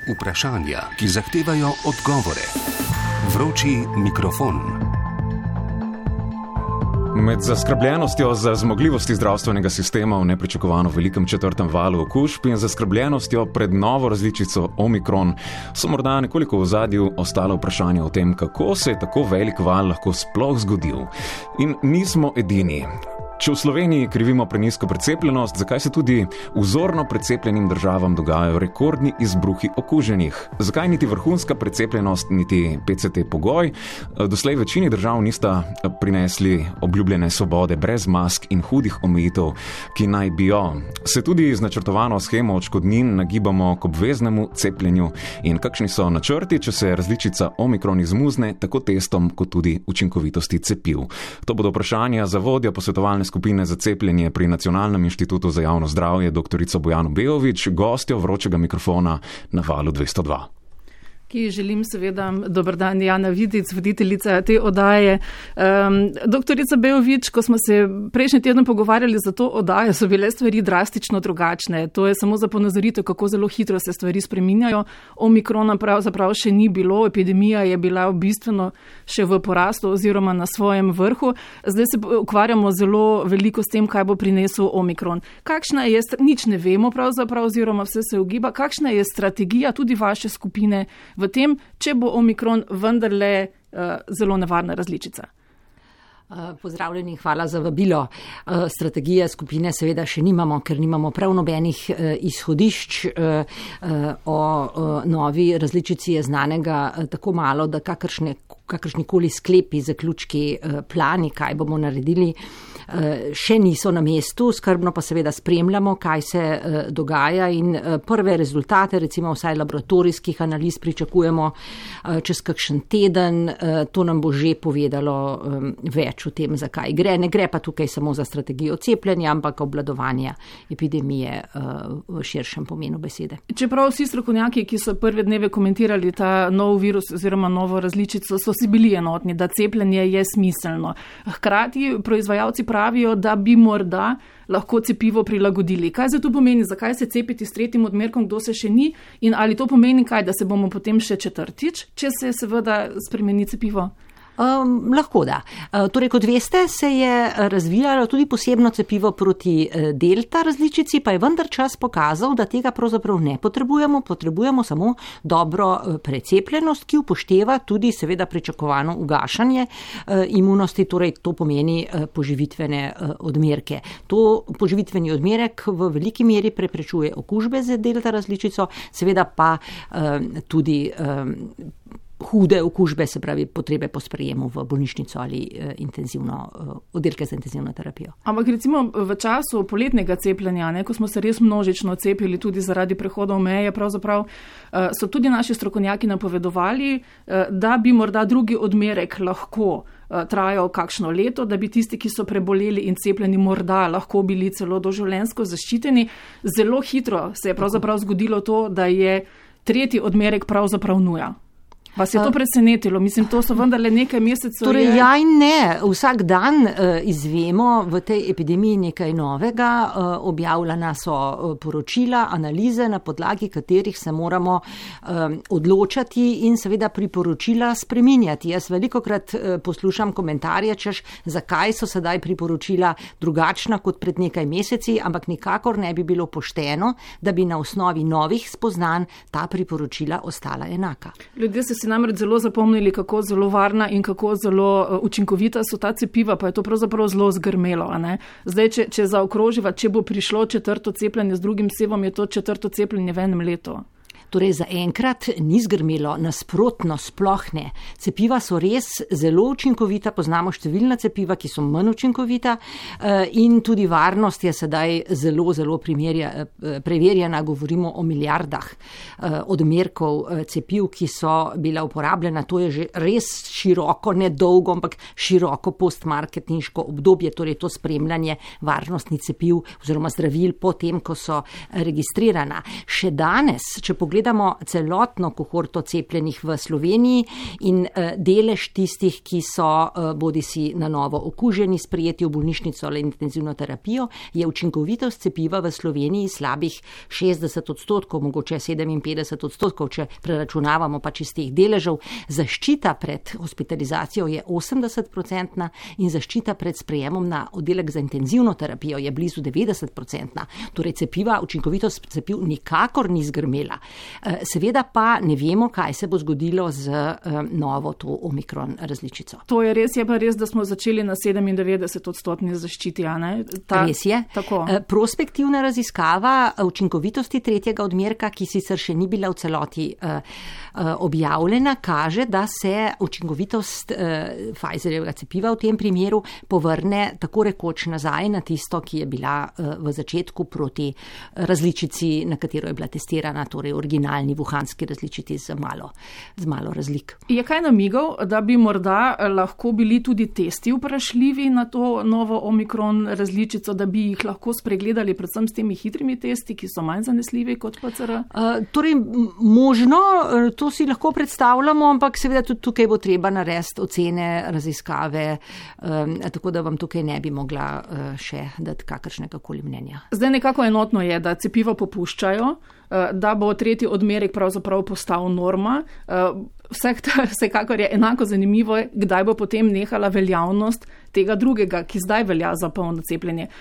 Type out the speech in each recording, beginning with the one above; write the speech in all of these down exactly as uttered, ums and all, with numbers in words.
Vprašanja, ki zahtevajo odgovore. Vroči mikrofon. Med zaskrbljenostjo za zmogljivosti zdravstvenega sistema v nepričakovano velikem četrtem valu okužb in zaskrbljenostjo pred novo različico Omikron so morda nekoliko v ozadju ostale vprašanja o tem, kako se je tako velik val lahko sploh zgodil. In nismo edini. Če v Sloveniji krivimo prenizko precepljenost, zakaj se tudi vzorno precepljenim državam dogajajo rekordni izbruhi okuženih? Zakaj niti vrhunska precepljenost, niti P C T pogoj doslej večini držav nista prinesli obljubljene svobode brez mask in hudih omejitev, ki naj bi jo? Se tudi z načrtovano shemo odškodnin nagibamo k obveznemu cepljenju in kakšni so načrti, če se različica Omikron izmuzne tako testom kot tudi učinkovitosti cepiv? To bodo vprašanja za vodjo posvetovalne skupine za cepljenje pri Nacionalnem inštitutu za javno zdravje doktorico Bojano Beović, gostjo vročega mikrofona na valu dvesto dva. Ki želim seveda, dober dan, Jana Vidic, voditeljica te oddaje. Um, doktorica Beović, ko smo se prejšnji teden pogovarjali za to oddajo, so bile stvari drastično drugačne. To je samo za ponazoritev, kako zelo hitro se stvari spreminjajo. Omikrona pravzaprav še ni bilo, epidemija je bila bistveno še v porastu oziroma na svojem vrhu. Zdaj se ukvarjamo zelo veliko s tem, kaj bo prinesel Omikron. Kakšna je, nič ne vemo pravzaprav oziroma vse se ugiba, kakšna je strategija tudi vaše skupine v tem, če bo Omikron vendarle uh, zelo nevarna različica? Pozdravljeni, hvala za vabilo. Strategije skupine seveda še nimamo, ker nimamo prav nobenih izhodišč. O novi različici je znanega tako malo, da kakršne, kakršnikoli sklepi, zaključki, plani, kaj bomo naredili, še niso na mestu. Skrbno pa seveda spremljamo, kaj se dogaja in prve rezultate, recimo vsaj laboratorijskih analiz, pričakujemo čez kakšen teden. To nam bo že povedalo več o tem, zakaj gre. Ne gre pa tukaj samo za strategijo cepljenja, ampak obvladovanja epidemije v širšem pomenu besede. Čeprav vsi strokovnjaki, ki so prve dneve komentirali ta nov virus oziroma novo različico, so si bili enotni, da cepljenje je smiselno. Hkrati proizvajalci pravijo, da bi morda lahko cepivo prilagodili. Kaj za to pomeni? Zakaj se cepiti s tretjim odmerkom, kdo se še ni? In ali to pomeni kaj, da se bomo potem še četrtič, če se seveda spremeni cepivo? Um, lahko da. Uh, torej, kot veste, se je razvijalo tudi posebno cepivo proti uh, delta različici, pa je vendar čas pokazal, da tega pravzaprav ne potrebujemo, potrebujemo samo dobro uh, precepljenost, ki upošteva tudi seveda pričakovano ugašanje uh, imunosti, torej to pomeni uh, poživitvene uh, odmerke. To poživitveni odmerek v veliki meri preprečuje okužbe z delta različico, seveda pa uh, tudi um, hude okužbe, se pravi potrebe po sprejemu v bolnišnico ali uh, intenzivno, uh, oddelke za intenzivno terapijo. Ampak recimo v času poletnega cepljenja, ne, ko smo se res množično cepili tudi zaradi prehodov meje, pravzaprav uh, so tudi naši strokovnjaki napovedovali, uh, da bi morda drugi odmerek lahko trajal kakšno leto, da bi tisti, ki so preboleli in cepljeni, morda lahko bili celo doživljenjsko zaščiteni. Zelo hitro se je pravzaprav zgodilo to, da je tretji odmerek pravzaprav nuja. Vas je to presenetilo? Mislim, to so vendarle nekaj mesecev. Torej, ja in ne. Vsak dan uh, izvemo v tej epidemiji nekaj novega. Uh, objavljena so uh, poročila, analize, na podlagi katerih se moramo um, odločati in seveda priporočila spreminjati. Jaz velikokrat uh, poslušam komentarje, češ, zakaj so sedaj priporočila drugačna kot pred nekaj meseci, ampak nikakor ne bi bilo pošteno, da bi na osnovi novih spoznanj ta priporočila ostala enaka. Ljudje se namreč zelo zapomnili, kako zelo varna in kako zelo učinkovita so ta cepiva, pa je to pravzaprav zelo zgrmelo. A ne? Zdaj, če, če zaokroživa, če bo prišlo četrto cepljenje z drugim sevom, je to četrto cepljenje v enem letu. Torej, zaenkrat ni zgrmelo, nasprotno, sploh ne. Cepiva so res zelo učinkovita, poznamo številna cepiva, ki so manj učinkovita in tudi varnost je sedaj zelo, zelo preverjena, govorimo o milijardah odmerkov cepiv, ki so bila uporabljena. To je že res široko, ne dolgo, ampak široko postmarketinško obdobje, torej to spremljanje varnostnih cepiv oziroma zdravil po tem, ko so registrirana. Še danes, če pogledamo pogledamo celotno kohorto cepljenih v Sloveniji in delež tistih, ki so bodi si na novo okuženi, sprejeti v bolnišnico ali intenzivno terapijo, je učinkovitost cepiva v Sloveniji slabih šestdeset odstotkov, mogoče sedeminpetdeset odstotkov, če preračunavamo pač iz teh deležev. Zaščita pred hospitalizacijo je osemdeset procentna in zaščita pred sprejemom na oddelek za intenzivno terapijo je blizu devetdeset procentna. Torej cepiva, učinkovitost cepiv nikakor ni zgrmela. Seveda pa ne vemo, kaj se bo zgodilo z novo to omikron različico. To je res, je pa res, da smo začeli na sedemindevetdeset odstotni zaščiti, a ne? Ta, res je. Tako. Prospektivna raziskava učinkovitosti tretjega odmerka, ki sicer še ni bila v celoti uh, uh, objavljena, kaže, da se učinkovitost uh, Pfizerjevega cepiva v tem primeru povrne tako rekoč nazaj na tisto, ki je bila uh, v začetku proti različici, na katero je bila testirana, torej originalni wuhanski različici z malo, z malo razlik. Je kaj namigov, da bi morda lahko bili tudi testi vprašljivi na to novo omikron različico, da bi jih lahko spregledali predvsem s temi hitrimi testi, ki so manj zanesljivi kot P C R? Uh, torej, možno, to si lahko predstavljamo, ampak seveda tudi tukaj bo treba narediti ocene, raziskave, um, tako da vam tukaj ne bi mogla uh, še dati kakršnega koli mnenja. Zdaj nekako enotno je, da cepiva popuščajo, uh, da bo tretji odmerek pravzaprav postal norma. Uh, Vseh, vsekakor je enako zanimivo, kdaj bo potem nehala veljavnost tega drugega, ki zdaj velja za polno cepljenje.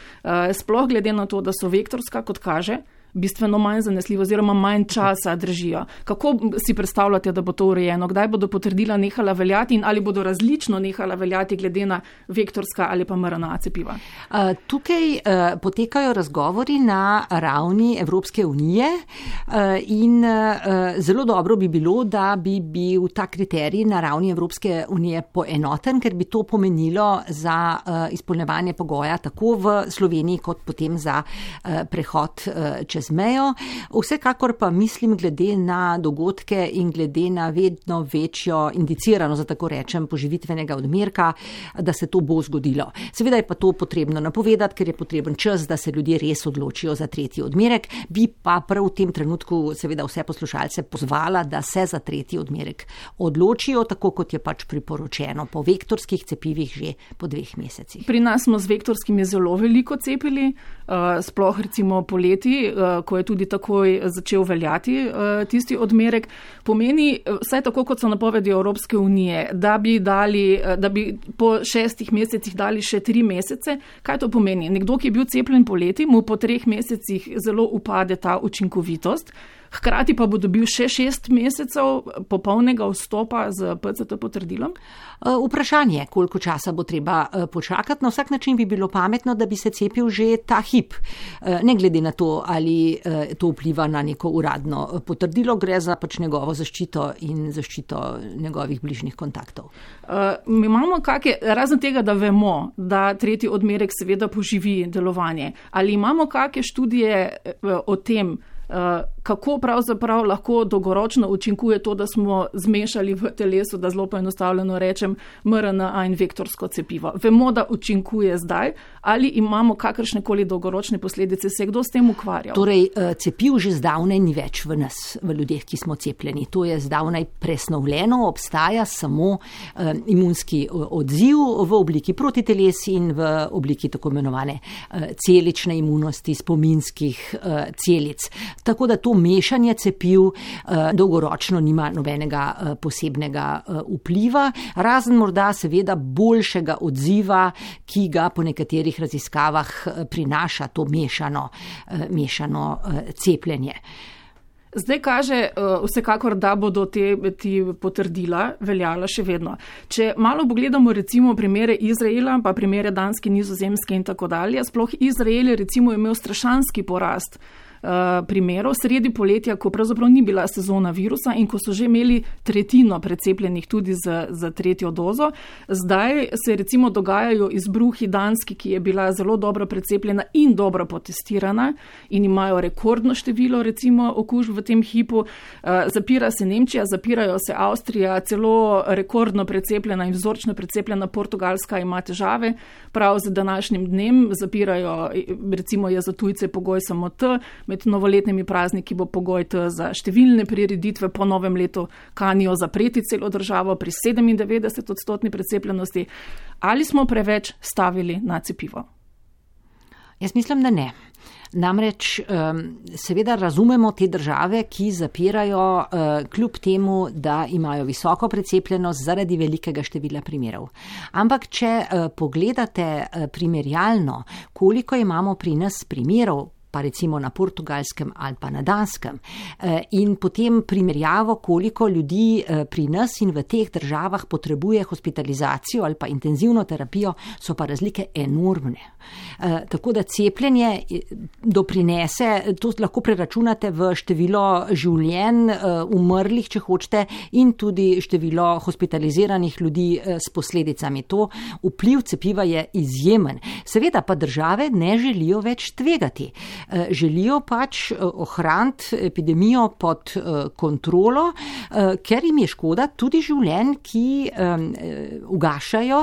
Sploh glede na to, da so vektorska, kot kaže, bistveno manj zanesljivo oziroma manj časa držijo. Kako si predstavljate, da bo to urejeno? Kdaj bodo potrdila nehala veljati in ali bodo različno nehala veljati glede na vektorska ali pa M R N A cepiva? Uh, tukaj uh, potekajo razgovori na ravni Evropske unije uh, in uh, zelo dobro bi bilo, da bi bil ta kriterij na ravni Evropske unije poenoten, ker bi to pomenilo za uh, izpolnjevanje pogoja tako v Sloveniji kot potem za uh, prehod uh, čez mejo. Vsekakor pa mislim, glede na dogodke in glede na vedno večjo indicirano, za tako rečem, poživitvenega odmerka, da se to bo zgodilo. Seveda je pa to potrebno napovedati, ker je potreben čas, da se ljudje res odločijo za tretji odmerek. Bi pa prav v tem trenutku seveda vse poslušalce pozvala, da se za tretji odmerek odločijo, tako kot je pač priporočeno po vektorskih cepivih že po dveh mesecih. Pri nas smo z vektorskimi zelo veliko cepili, sploh recimo poleti, ko je tudi takoj začel veljati tisti odmerek. Pomeni, vsaj tako kot so napovedi Evropske unije, da bi, dali, da bi po šestih mesecih dali še tri mesece. Kaj to pomeni? Nekdo, ki je bil cepljen poleti, mu po treh mesecih zelo upade ta učinkovitost. Hkrati pa bo dobil še šest mesecev popolnega vstopa z P C T potrdilom? Vprašanje, koliko časa bo treba počakati. Na vsak način bi bilo pametno, da bi se cepil že ta hip. Ne glede na to, ali to vpliva na neko uradno potrdilo, gre za pač njegovo zaščito in zaščito njegovih bližnjih kontaktov. Mi imamo kakšne, razen tega, da vemo, da tretji odmerek seveda poživi delovanje. Ali imamo kakšne študije o tem, kako pravzaprav lahko dolgoročno učinkuje to, da smo zmešali v telesu, da zelo poenostavljeno rečem, M R N A in vektorsko cepivo. Vemo, da učinkuje zdaj, ali imamo kakršnekoli dolgoročne posledice, se kdo s tem ukvarjal? Torej, cepiv že zdavnaj ni več v nas, v ljudeh, ki smo cepljeni. To je zdavnaj presnovljeno, obstaja samo imunski odziv v obliki protiteles in v obliki tako imenovane celične imunosti, spominskih celic. Tako da to mešanje cepiv eh, dolgoročno nima nobenega eh, posebnega eh, vpliva, razen morda seveda boljšega odziva, ki ga po nekaterih raziskavah eh, prinaša to mešano, eh, mešano eh, cepljenje. Zdaj kaže uh, vsekakor, da bodo te, te potrdila veljala še vedno. Če malo pogledamo recimo primere Izraela, pa primere Danske, Nizozemske in tako dalje, sploh Izrael je recimo imel strašanski porast primerov sredi poletja, ko pravzaprav ni bila sezona virusa in ko so že imeli tretjino precepljenih tudi z, z tretjo dozo. Zdaj se recimo dogajajo izbruhi Danski, ki je bila zelo dobro precepljena in dobro potestirana in imajo rekordno število recimo okužb v tem hipu. Zapira se Nemčija, zapirajo se Avstrija, celo rekordno precepljena in vzorčno precepljena Portugalska ima težave. Prav z današnjim dnem zapirajo, recimo je za tujce pogoj samo T, med novoletnimi prazniki bo pogoj T za številne prireditve, po novem letu kanijo zapreti celo državo pri sedemindevetdeset odstotni precepljenosti. Ali smo preveč stavili na cepivo? Jaz mislim, da ne. Namreč seveda razumemo te države, ki zapirajo kljub temu, da imajo visoko precepljenost zaradi velikega števila primerov. Ampak če pogledate primerjalno, koliko imamo pri nas primerov, pa recimo na Portugalskem ali pa na Danskem, in potem primerjavo, koliko ljudi pri nas in v teh državah potrebuje hospitalizacijo ali pa intenzivno terapijo, so pa razlike enormne. Tako da cepljenje doprinese, to lahko preračunate v število življenj umrlih, če hočete, in tudi število hospitaliziranih ljudi s posledicami. To vpliv cepiva je izjemen. Seveda pa države ne želijo več tvegati. Želijo pač ohraniti epidemijo pod kontrolo, ker jim je škoda tudi življenj, ki ugašajo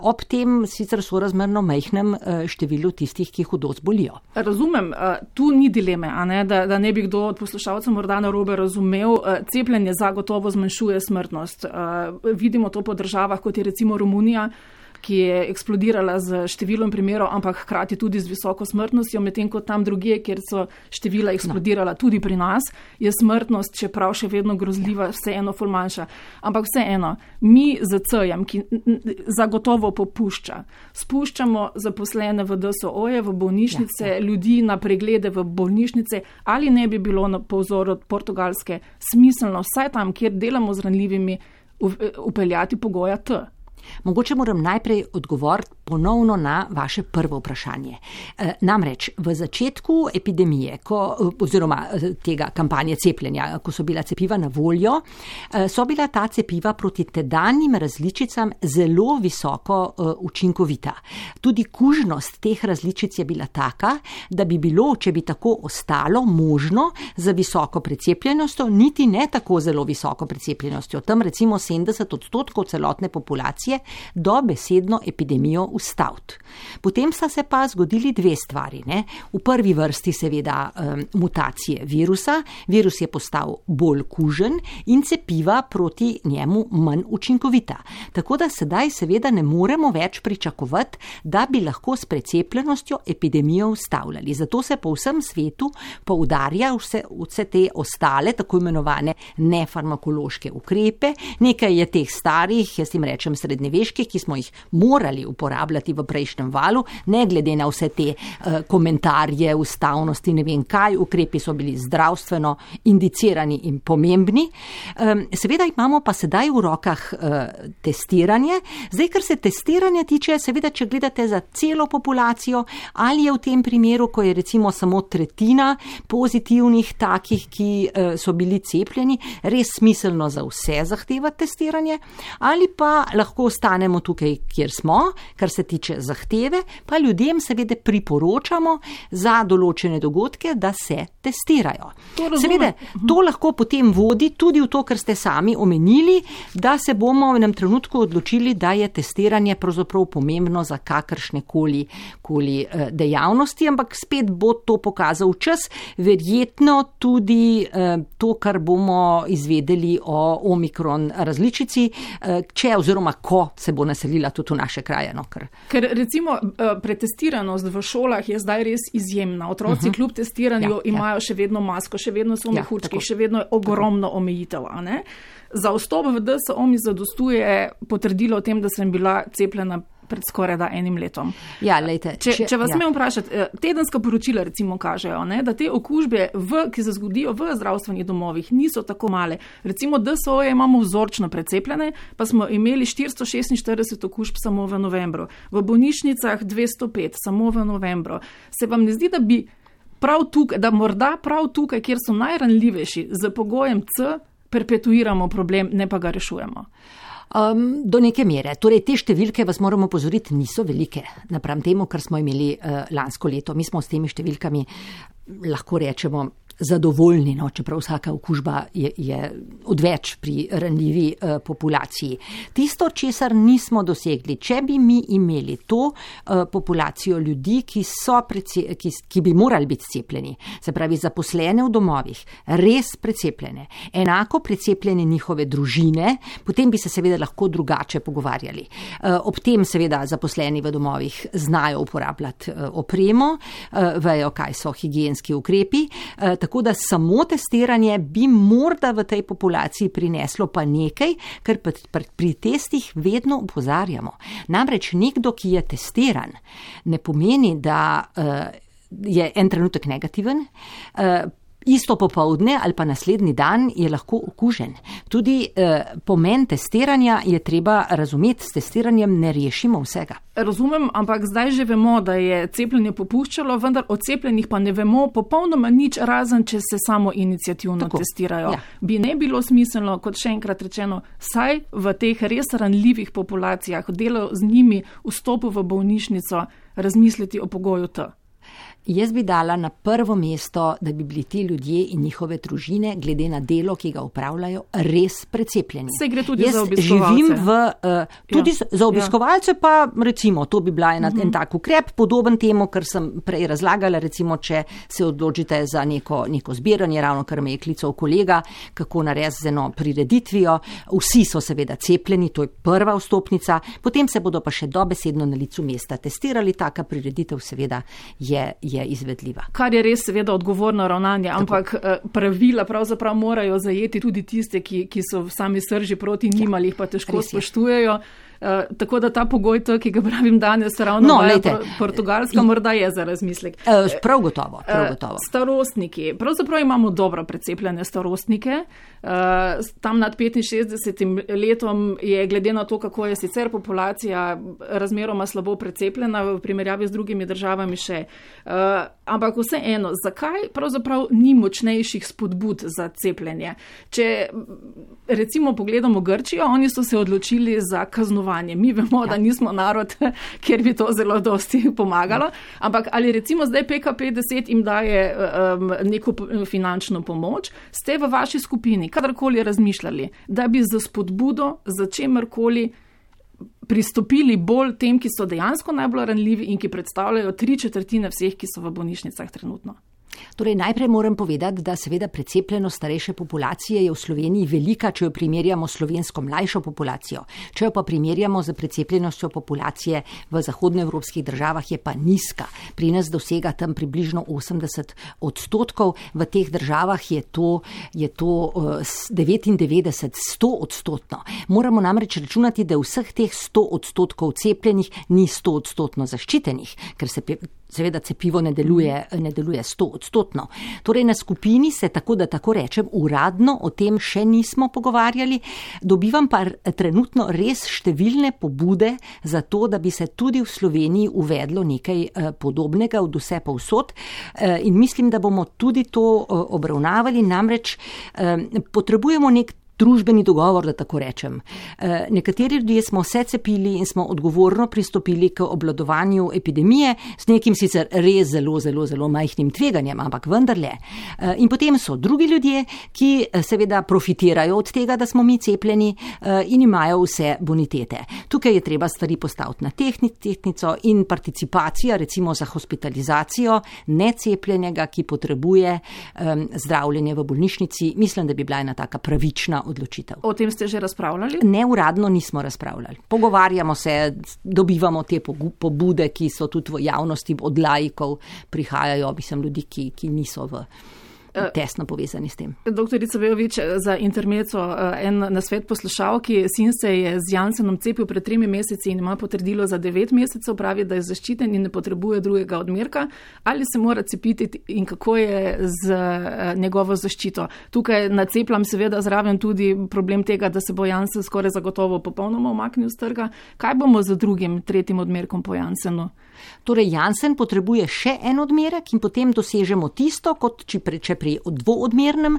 ob tem sicer sorazmerno majhnem številu tistih, ki hudo zbolijo. Razumem, tu ni dileme, a ne, da, da ne bi kdo od poslušalcev morda narobe razumel. Cepljenje zagotovo zmanjšuje smrtnost. Vidimo to po državah, kot je recimo Romunija, ki je eksplodirala z številom primerov, ampak hkrati tudi z visoko smrtnostjo, medtem ko tam drugje, kjer so števila eksplodirala no. tudi pri nas, je smrtnost, čeprav še vedno grozljiva, vseeno ful manjša. Ampak vseeno, mi z C-jem, ki zagotovo popušča, spuščamo zaposlene v D S O-je, v bolnišnice, ja, ja. ljudi na preglede v bolnišnice, ali ne bi bilo po vzoru od Portugalske smiselno vsaj tam, kjer delamo z ranljivimi, upeljati pogoja T? Mogoče moram najprej odgovoriti ponovno na vaše prvo vprašanje. E, namreč v začetku epidemije, ko, oziroma tega kampanje cepljenja, ko so bila cepiva na voljo, so bila ta cepiva proti tedanjim različicam zelo visoko uh, učinkovita. Tudi kužnost teh različic je bila taka, da bi bilo, če bi tako ostalo, možno za visoko precepljenostjo, niti ne tako zelo visoko precepljenostjo, tam recimo sedemdeset odstotkov celotne populacije, dobesedno epidemijo ustaviti. Potem sta se pa zgodili dve stvari. Ne? V prvi vrsti seveda um, mutacije virusa. Virus je postal bolj kužen in cepiva proti njemu manj učinkovita. Tako da sedaj seveda ne moremo več pričakovati, da bi lahko s precepljenostjo epidemijo ustavljali. Zato se po vsem svetu poudarja vse, vse te ostale, tako imenovane nefarmakološke ukrepe. Nekaj je teh starih, jaz jim rečem srednjeveških, ki smo jih morali uporabljati v prejšnjem valu, ne glede na vse te uh, komentarje, ustavnosti, ne vem kaj, ukrepi so bili zdravstveno indicirani in pomembni. Um, seveda imamo pa sedaj v rokah uh, testiranje. Zdaj, kar se testiranja tiče, seveda, če gledate za celo populacijo, ali je v tem primeru, ko je recimo samo tretjina pozitivnih takih, ki uh, so bili cepljeni, res smiselno za vse zahtevati testiranje, ali pa lahko ostanemo tukaj, kjer smo, kar se tiče zahteve, pa ljudem seveda priporočamo za določene dogodke, da se testirajo. To seveda, to lahko potem vodi tudi v to, kar ste sami omenili, da se bomo v enem trenutku odločili, da je testiranje pravzaprav pomembno za kakršne koli, koli dejavnosti, ampak spet bo to pokazal čas, verjetno tudi to, kar bomo izvedeli o omikron različici, če oziroma ko se bo naselila tudi v naše kraje. No, ker... ker recimo pretestiranost v šolah je zdaj res izjemna. Otroci uh-huh. kljub testiranju ja, imajo ja. še vedno masko, še vedno so v mehurčkih, ja, še vedno je ogromno tako. omejitev. A ne? Za vstop v D S O mi zadostuje potrdilo o tem, da sem bila cepljena pred skoraj da enim letom. Ja, lejte, če, če, če vas ja. smem vprašati, tedenska poročila recimo kažejo, ne, da te okužbe, v, ki se zgodijo v zdravstvenih domovih, niso tako male. Recimo D S O-je imamo vzorčno precepljene, pa smo imeli štiristo šestinštirideset okužb samo v novembru. V bolnišnicah dvesto pet samo v novembru. Se vam ne zdi, da bi prav tukaj, da morda prav tukaj, kjer so najranljivejši, z pogojem C, perpetuiramo problem, ne pa ga rešujemo? Um, do neke mere. Torej, te številke, vas moramo opozoriti, niso velike napram temu, kar smo imeli uh, lansko leto. Mi smo s temi številkami, lahko rečemo, zadovoljni, no, čeprav vsaka okužba je, je odveč pri ranljivi uh, populaciji. Tisto, česar nismo dosegli, če bi mi imeli to uh, populacijo ljudi, ki, so prece, ki, ki bi morali biti cepljeni, se pravi zaposlene v domovih, res precepljene, enako precepljene njihove družine, potem bi se seveda lahko drugače pogovarjali. Uh, ob tem seveda zaposleni v domovih znajo uporabljati uh, opremo, uh, vejo, kaj so higienski ukrepi, uh, tako da samo testiranje bi morda v tej populaciji prineslo pa nekaj, kar pri testih vedno opozarjamo. Namreč nekdo, ki je testiran, ne pomeni, da uh, je en trenutek negativen, uh, isto popoldne ali pa naslednji dan je lahko okužen. Tudi eh, pomen testiranja je treba razumeti, s testiranjem ne rešimo vsega. Razumem, ampak zdaj že vemo, da je cepljenje popuščalo, vendar o cepljenih pa ne vemo popolnoma nič, razen če se samo iniciativno Tako, testirajo. Ja. Bi ne bilo smiselno, kot še enkrat rečeno, saj v teh res ranljivih populacijah, delo z njimi, vstopu v bolnišnico, razmisliti o pogoju T. Jaz bi dala na prvo mesto, da bi bili ti ljudje in njihove družine, glede na delo, ki ga upravljajo, res precepljeni. Se gre tudi Jaz za obiskovalce. Živim v, uh, tudi ja. za obiskovalce, pa recimo, to bi bila ena, uh-huh. en tak ukrep, podoben temu, kar sem prej razlagala, recimo, če se odločite za neko, neko zbiranje, ravno kar me je klical kolega, kako narediti z eno prireditvijo. Vsi so seveda cepljeni, to je prva vstopnica, potem se bodo pa še dobesedno na licu mesta testirali, taka prireditev seveda je je izvedljiva. Kar je res seveda odgovorno ravnanje, ampak Tako. pravila pravzaprav morajo zajeti tudi tiste, ki, ki so v sami srži proti njim ali jih pa težko spoštujejo. Uh, tako da ta pogoj, to, ki ga pravim danes, ravno no, vaja pro, Portugalska, morda je za razmislek. Uh, prav gotovo, prav gotovo. Uh, starostniki. Pravzaprav imamo dobro precepljene starostnike. Uh, tam nad petinšestdesetim letom je glede na to, kako je sicer populacija razmeroma slabo precepljena v primerjavi z drugimi državami še. Uh, ampak vseeno, zakaj pravzaprav ni močnejših spodbud za cepljenje? Če recimo pogledamo Grčijo, oni so se odločili za kaznovanje. Mi vemo, ja. da nismo narod, kjer bi to zelo dosti pomagalo, ampak ali recimo zdaj P K P deset jim daje um, neko finančno pomoč, ste v vaši skupini kadarkoli razmišljali, da bi za spodbudo, za čemerkoli pristopili bolj tem, ki so dejansko najbolj ranljivi in ki predstavljajo tri četrtine vseh, ki so v bolnišnicah trenutno? Torej, najprej moram povedati, da seveda precepljenost starejše populacije je v Sloveniji velika, če jo primerjamo s slovensko mlajšo populacijo. Če jo pa primerjamo z precepljenostjo populacije v zahodnoevropskih državah, je pa nizka. Pri nas dosega tam približno osemdeset odstotkov, v teh državah je to, je to uh, devetindevetdeset, sto odstotno. Moramo namreč računati, da vseh teh sto odstotkov cepljenih ni sto odstotno zaščitenih, ker se seveda cepivo ne deluje, ne deluje sto odstotno. Torej na skupini se, tako da tako rečem, uradno o tem še nismo pogovarjali. Dobivam pa trenutno res številne pobude za to, da bi se tudi v Sloveniji uvedlo nekaj podobnega od vse povsod. In mislim, da bomo tudi to obravnavali, namreč potrebujemo nek družbeni dogovor, da tako rečem. E, nekateri ljudje smo se cepili in smo odgovorno pristopili k obvladovanju epidemije s nekim sicer res zelo, zelo, zelo majhnim tveganjem, ampak vendarle. E, in potem so drugi ljudje, ki seveda profitirajo od tega, da smo mi cepljeni e, in imajo vse bonitete. Tukaj je treba stvari postaviti na tehni, tehnico in participacija, recimo za hospitalizacijo necepljenega, ki potrebuje e, zdravljenje v bolnišnici. Mislim, da bi bila ena taka pravična odločitev. O tem ste že razpravljali? Neuradno nismo razpravljali. Pogovarjamo se, dobivamo te pobude, ki so tudi v javnosti od laikov prihajajo, mislim, ljudi, ki, ki niso v tesno povezani s tem. Doktorica Bejović, za intermeco en nasvet poslušalki. Sin se je z Janssenom cepil pred tremi meseci in ima potrdilo za devet mesecev, pravi, da je zaščiten in ne potrebuje drugega odmerka. Ali se mora cepiti in kako je z njegovo zaščito? Tukaj nacepljam seveda zraven tudi problem tega, da se bo Janssen skoraj zagotovo popolnoma umaknil z trga. Kaj bomo z drugim, tretjim odmerkom po Janssenu? Torej, Janssen potrebuje še en odmerek in potem dosežemo tisto, kot če pri dvoodmernem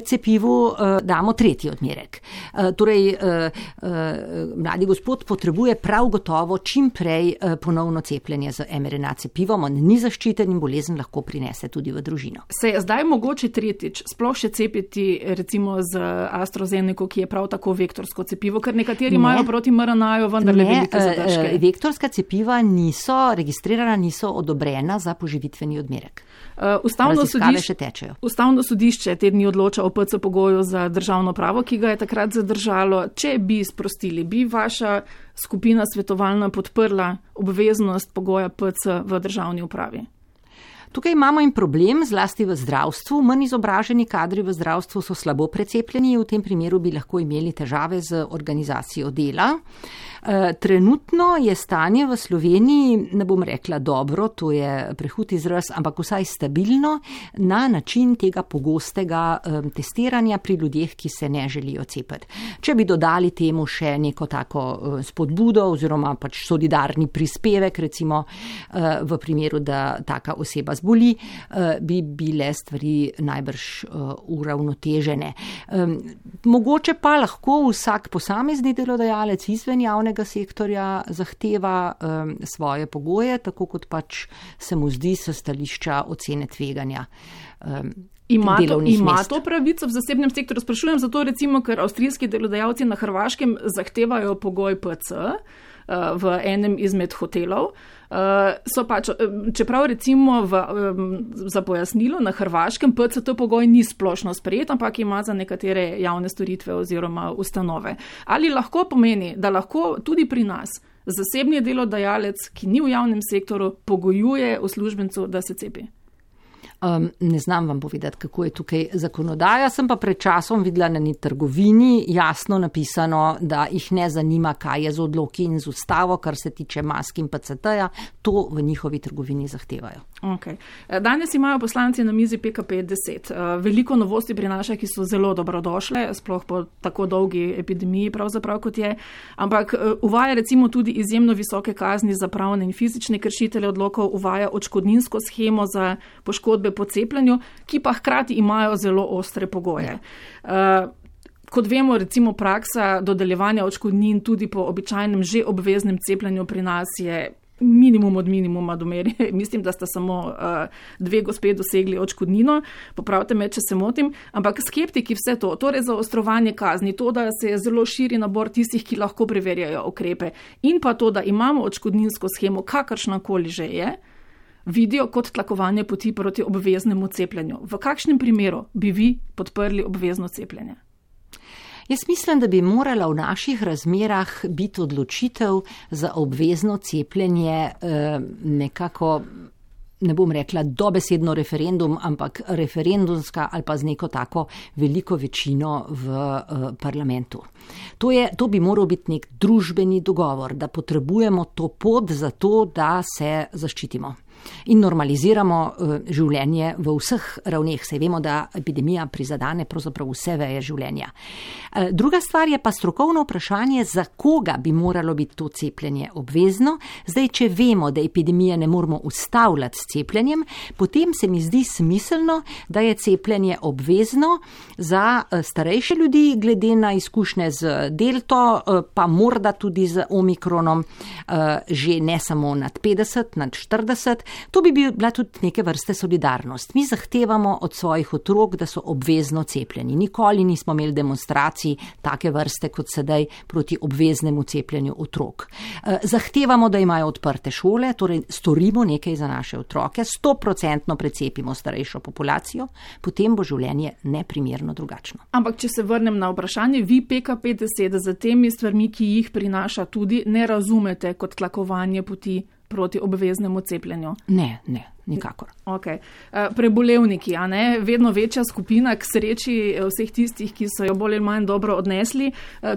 cepivu damo tretji odmerek. Torej, mladi gospod potrebuje prav gotovo čim prej ponovno cepljenje z em er en a cepivom, on ni zaščiten in bolezen lahko prinese tudi v družino. Se je zdaj mogoče tretjič sploh še cepiti recimo z AstraZeneco, ki je prav tako vektorsko cepivo, ker nekateri ne. imajo proti em er en a-ju vendarle velike zadržke. Vektorska cepiva niso registrirana, niso odobrena za poživitveni odmerek. Uh, ustavno, sodišče, ustavno sodišče te dni odloča o P C pogoju za državno pravo, ki ga je takrat zadržalo. Če bi sprostili, bi vaša skupina svetovalna podprla obveznost pogoja P C v državni upravi? Tukaj imamo in problem, zlasti v zdravstvu. Manj izobraženi kadri v zdravstvu so slabo precepljeni, v tem primeru bi lahko imeli težave z organizacijo dela. Trenutno je stanje v Sloveniji, ne bom rekla dobro, to je prehud izraz, ampak vsaj stabilno na način tega pogostega testiranja pri ljudeh, ki se ne želijo cepiti. Če bi dodali temu še neko tako spodbudo oziroma pač solidarni prispevek, recimo v primeru, da taka oseba zboli, bi bile stvari najbrž uravnotežene. Mogoče pa lahko vsak posamezni delodajalec izven javnega sektorja zahteva um, svoje pogoje, tako kot pač se mu zdi s stališča ocene tveganja. Um, Ima, to, ima to pravico v zasebnem sektorju? Sprašujem zato recimo, ker avstrijski delodajalci na Hrvaškem zahtevajo pogoj P C uh, v enem izmed hotelov. Uh, so pač, čeprav recimo v, um, za pojasnilo na Hrvaškem P C T pogoj ni splošno sprejet, ampak ima za nekatere javne storitve oziroma ustanove. Ali lahko pomeni, da lahko tudi pri nas zasebni delodajalec, ki ni v javnem sektoru, pogojuje uslužbencu, da se cepi? Um, ne znam vam povedati, kako je tukaj zakonodaja. Sem pa pred časom videla na eni trgovini jasno napisano, da jih ne zanima, kaj je z odloki in z ustavo, kar se tiče mask in P C T-ja. To v njihovi trgovini zahtevajo. Okay. Danes imajo poslanci na mizi P K P deset. Veliko novosti prinaša, ki so zelo dobrodošle, sploh po tako dolgi epidemiji pravzaprav kot je. Ampak uvaja recimo tudi izjemno visoke kazni za pravne in fizične kršitelje odlokov, uvaja odškodninsko shemo za poškodbe po cepljenju, ki pa hkrati imajo zelo ostre pogoje. Uh, kot vemo, recimo praksa dodeljevanja odškodnin tudi po običajnem že obveznem cepljenju pri nas je minimum od minimuma do mere. Mislim, da sta samo uh, dve gospe dosegli odškodnino, popravite me, če se motim, ampak skeptiki vse to, torej zaostrovanje kazni, to, da se je zelo širi nabor tistih, ki lahko preverjajo ukrepe in pa to, da imamo odškodninsko shemo, kakršnakoli že je, vidijo kot tlakovanje poti proti obveznemu cepljenju. V kakšnem primeru bi vi podprli obvezno cepljenje? Jaz mislim, da bi morala v naših razmerah biti odločitev za obvezno cepljenje eh, nekako, ne bom rekla dobesedno referendum, ampak referendumska ali pa z neko tako veliko večino v eh, parlamentu. To, je, to bi moral biti nek družbeni dogovor, da potrebujemo to pot za to, da se zaščitimo in normaliziramo uh, življenje v vseh ravneh. Se vemo, da epidemija prizadane pravzaprav vse veje življenja. Uh, druga stvar je pa strokovno vprašanje, za koga bi moralo biti to cepljenje obvezno. Zdaj, če vemo, da epidemije ne moramo ustavljati s cepljenjem, potem se mi zdi smiselno, da je cepljenje obvezno za uh, starejše ljudi, glede na izkušnje z delto, uh, pa morda tudi z omikronom, uh, že ne samo nad petdeset, nad štirideset. To bi bila tudi neke vrste solidarnost. Mi zahtevamo od svojih otrok, da so obvezno cepljeni. Nikoli nismo imeli demonstracij take vrste kot sedaj proti obveznemu cepljenju otrok. Zahtevamo, da imajo odprte šole, torej storimo nekaj za naše otroke, sto procentno precepimo starejšo populacijo, potem bo življenje neprimerno drugačno. Ampak, če se vrnem na vprašanje, vi P K P deset za temi stvarmi, ki jih prinaša tudi, ne razumete kot tlakovanje poti proti obveznemu cepljenju? Ne, ne, nikakor. Okay. Prebolevniki, a ne, vedno večja skupina, k sreči vseh tistih, ki so jo bolj ali manj dobro odnesli.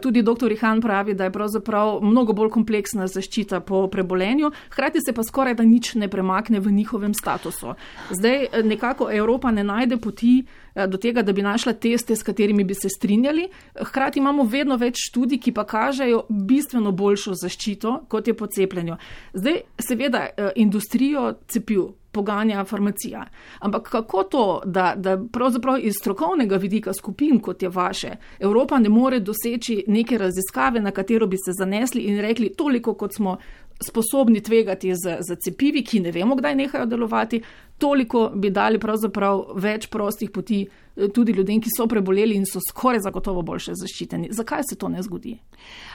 Tudi doktor Ihan pravi, da je pravzaprav mnogo bolj kompleksna zaščita po prebolenju, hkrati se pa skoraj da nič ne premakne v njihovem statusu. Zdaj nekako Evropa ne najde poti do tega, da bi našla teste, s katerimi bi se strinjali. Hkrati imamo vedno več študij, ki pa kažejo bistveno boljšo zaščito, kot je po cepljenju. Zdaj, seveda, industrijo cepiv poganja farmacija. Ampak kako to, da, da pravzaprav iz strokovnega vidika skupin, kot je vaše, Evropa ne more doseči neke raziskave, na katero bi se zanesli in rekli toliko, kot smo sposobni tvegati za, za cepivi, ki ne vemo, kdaj nehajo delovati, toliko bi dali pravzaprav več prostih poti tudi ljudem, ki so preboleli in so skoraj zagotovo boljše zaščiteni. Zakaj se to ne zgodi?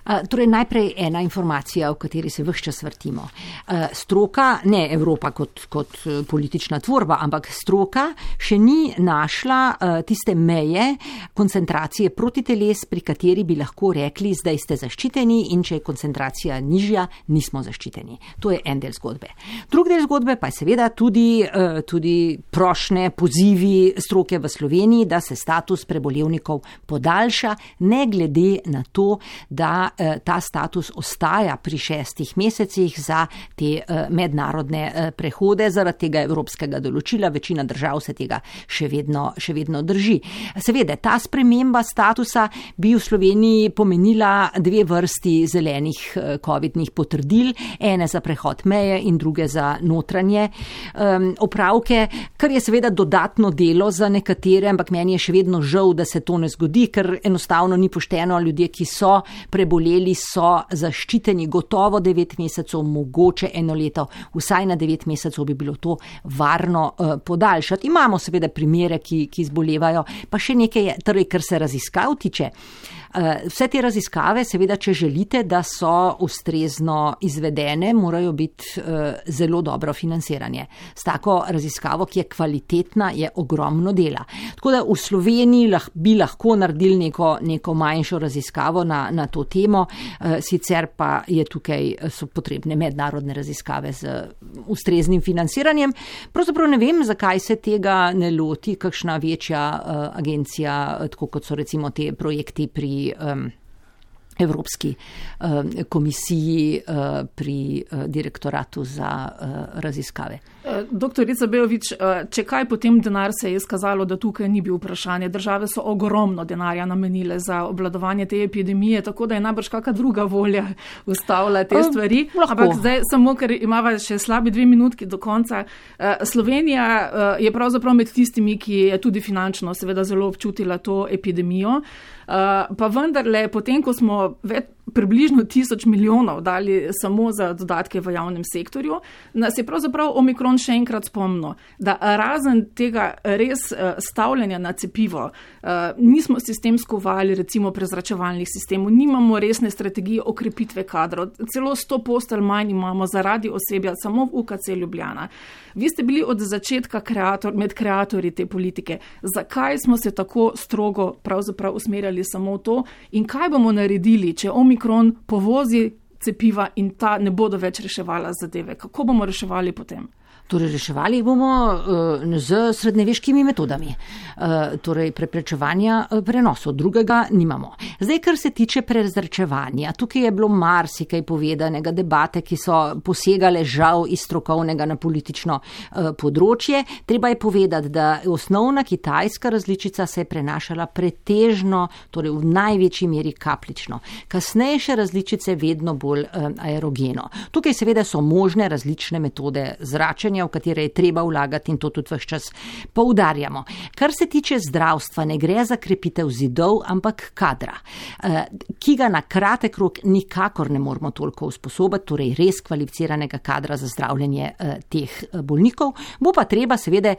Uh, torej, najprej ena informacija, o kateri se vse čas vrtimo. Uh, stroka, ne Evropa kot, kot politična tvorba, ampak stroka še ni našla uh, tiste meje koncentracije protiteles, pri kateri bi lahko rekli, zdaj ste zaščiteni in če je koncentracija nižja, nismo zaščiteni. To je en del zgodbe. Drugi del zgodbe pa je seveda tudi, uh, tudi prošnje, pozivi stroke v Sloveniji, da se status prebolevnikov podaljša, ne glede na to, da eh, ta status ostaja pri šestih mesecih za te eh, mednarodne eh, prehode, zaradi tega evropskega določila. Večina držav se tega še vedno, še vedno drži. Seveda, ta sprememba statusa bi v Sloveniji pomenila dve vrsti zelenih eh, covidnih potrdil, ene za prehod meje in druge za notranje eh, opravke, kar je seveda dodatno delo za nekatere, ampak meni je še vedno žal, da se to ne zgodi, ker enostavno ni pošteno. Ljudje, ki so preboleli, so zaščiteni gotovo devet mesecev, mogoče eno leto, vsaj na devet mesecev bi bilo to varno uh, podaljšati. Imamo seveda primere, ki, ki zbolevajo, pa še nekaj je, torej, kar se raziskav tiče. Vse te raziskave, seveda, če želite, da so ustrezno izvedene, morajo biti zelo dobro financiranje. S tako raziskavo, ki je kvalitetna, je ogromno dela. Tako da v Sloveniji lah, bi lahko naredili neko, neko manjšo raziskavo na, na to temo, sicer pa je tukaj, so potrebne mednarodne raziskave z ustreznim financiranjem. Pravzaprav ne vem, zakaj se tega ne loti kakšna večja agencija, tako kot so recimo te projekti pri Um, Evropski um, komisiji uh, pri uh, direktoratu za uh, raziskave. Doktorica Bejović, če kaj, potem denar se je izkazalo, da tukaj ni bil vprašanje. Države so ogromno denarja namenile za obvladovanje te epidemije, tako da je najbrž kakšna druga volja ustavila te stvari. Uh, Ampak zdaj samo, ker imava še slabi dve minutki do konca. Slovenija je pravzaprav med tistimi, ki je tudi finančno seveda zelo občutila to epidemijo. Pa vendarle, potem, ko smo več približno tisoč milijonov dali samo za dodatke v javnem sektorju, nas je pravzaprav omikron še enkrat spomnil, da razen tega res stavljanja na cepivo, nismo sistemsko uvajali recimo prezračevalnih sistemov, nimamo resne strategije okrepitve kadrov, celo sto postelj manj imamo zaradi osebja samo v U K C Ljubljana. Vi ste bili od začetka kreator, med kreatorji te politike. Zakaj smo se tako strogo pravzaprav usmerjali samo v to in kaj bomo naredili, če omikron povozi cepiva in ta ne bodo več reševala zadeve? Kako bomo reševali potem? Torej, reševali bomo uh, z srednjeveškimi metodami, uh, torej preprečevanja uh, prenosov, drugega nimamo. Zdaj, kar se tiče prezračevanja, tukaj je bilo marsikaj povedanega, debate, ki so posegale žal iz strokovnega na politično uh, področje. Treba je povedati, da osnovna kitajska različica se je prenašala pretežno, torej v največji meri kapljično. Kasnejše različice vedno bolj uh, aerogeno. Tukaj seveda so možne različne metode zračenja, v katere je treba vlagati in to tudi vse čas poudarjamo. Kar se tiče zdravstva, ne gre za krepitev zidov, ampak kadra, ki ga na kratek rok nikakor ne moramo toliko usposobiti, torej res kvalificiranega kadra za zdravljenje teh bolnikov. Bo pa treba seveda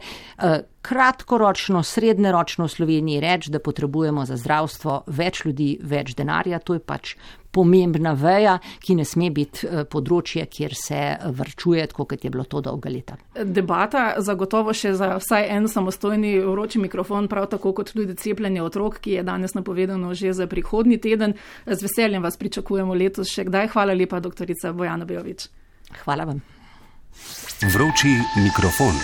kratkoročno, srednjeročno v Sloveniji reči, da potrebujemo za zdravstvo več ljudi, več denarja. To je pač pomembna veja, ki ne sme biti področje, kjer se varčuje, tako kot je bilo to dolga leta. Debata zagotovo še za vsaj en samostojni vroči mikrofon, prav tako kot tudi cepljenje otrok, ki je danes napovedano že za prihodnji teden. Z veseljem vas pričakujemo letos še kdaj. Hvala lepa, doktorica Bojana Bejović. Hvala vam. Vroči mikrofon.